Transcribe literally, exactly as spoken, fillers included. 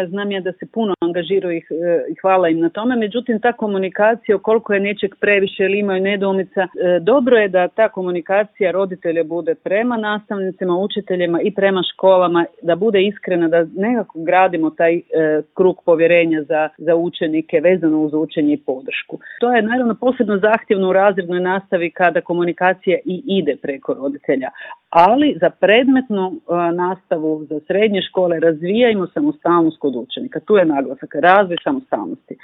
znam ja da se puno angažiraju ih i hvala im na tome, međutim ta komunikacija, koliko je nečeg previše ili imaju nedoumica, dobro je da ta komunikacija roditelja bude prema nastavnicima, učiteljima i prema školama, da bude iskrena, da nekako gradimo taj e, krug povjerenja za, za učenike vezano uz učenje i podršku. To je naravno posebno zahtjevno u razrednoj nastavi kada komunikacija i ide preko roditelja, ali za predmetnu e, nastavu za srednje škole razvijajmo samostalnost kod učenika. Tu je naglasak, razvoj samostalnosti.